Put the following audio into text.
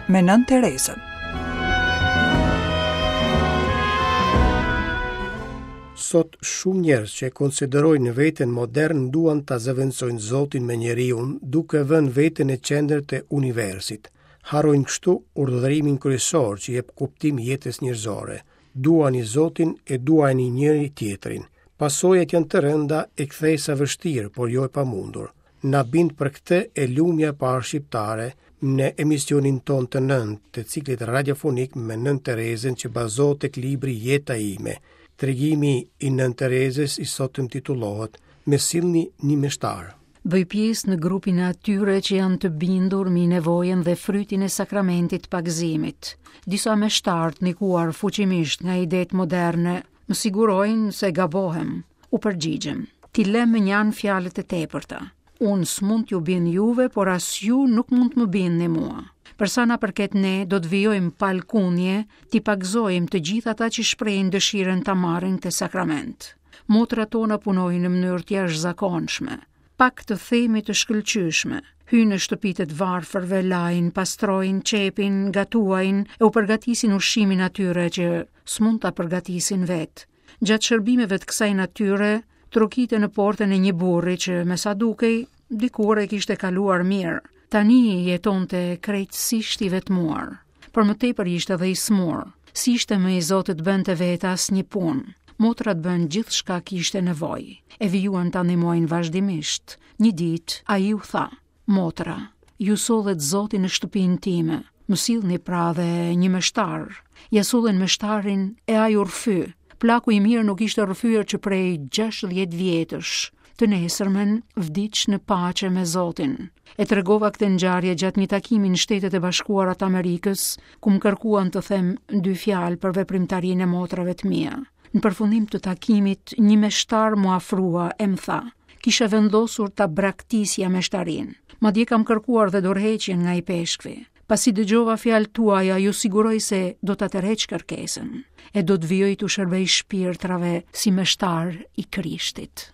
me Nënë Terezën. Sot shumë njerëz që e konsiderojnë veten modern duan ta zëvendësojnë Zotin me njeriun, duke vënë veten në qendër të universit. Harrojnë kështu urdhërimin kryesor që i jep kuptim jetës njerëzore. Duani Zotin e duani njëri tjetrin. Pasojat janë të rënda e kthesa e vështirë, por jo e pamundur. Na bind për këtë e lumja e parë shqiptare në emisionin tonë të nëntë të ciklit radiofonik me Nënë Terezën që bazohet tek libri Jeta ime. Tregimi i Nënë Terezës i sotëm titullohet Më sillni një meshtar. Bëj pjesë në grupin e atyre që janë të bindur mbi nevojën dhe frytin e sakramentit të pagëzimit. Disa meshtarë të ndikuar fuqimisht nga idetë moderne më sigurojnë se gabohem. U përgjigjem, t'i lëmë mënjanë fjalët e tepërta. Unë s'mund t'ju bind juve, por as ju nuk mund të më bindni mua. Për sa na përket ne, do të vijojmë pa lkundje t'i pagëzojmë të gjithë ata që shprehin dëshirën ta marrin këtë sakrament. Motrat tona punojnë në mënyrë të jashtëzakonshme, pak të themi të shkëlqyeshme. Hyjnë në shtëpitë e të varfërve, lajnë, pastrojnë, qepin, gatuajnë e u përgatisin ushqimin atyre që s'mund ta përgatisin vetë. Gjatë shërbimeve të kësaj natyre, trokita në portën e një burri që, me sa dukej, dikur e kishte kaluar mirë. Tani jetonte krejtësisht i vetmuar. Për më tepër ishte dhe i sëmurë. S'ishte më i zoti të bënte vetë asnjë punë. Motrat bënë gjithçka kishte nevojë. E vijuan ta ndihmojnë vazhdimisht. Një ditë, ai u tha, Motra, ju sollët Zotin në shtëpinë time, më sillni pra dhe një meshtar. Ia sollën meshtarin e ai u rrëfy. Plaku i mirë nuk ishte rrëfyer që prej 60 vjetësh. Të nesërmen vdiq në paqe me Zotin. E tregova këtë ngjarje gjatë një takimi në Shtetet e Bashkuara të Amerikës, ku më kërkuan të them dy fjalë për veprimtarinë e motrave të mia. Në përfundim të takimit, një meshtar m'u afrua e më tha: Kisha vendosur ta braktisja meshtarinë. Madje kam kërkuar dhe dorëheqjen nga ipeshkvi. Pasi dëgjova fjalët tuaja, ju siguroj se do ta tërheq kërkesën e do të vijoj t'u shërbej shpirtrave si meshtar i Krishtit.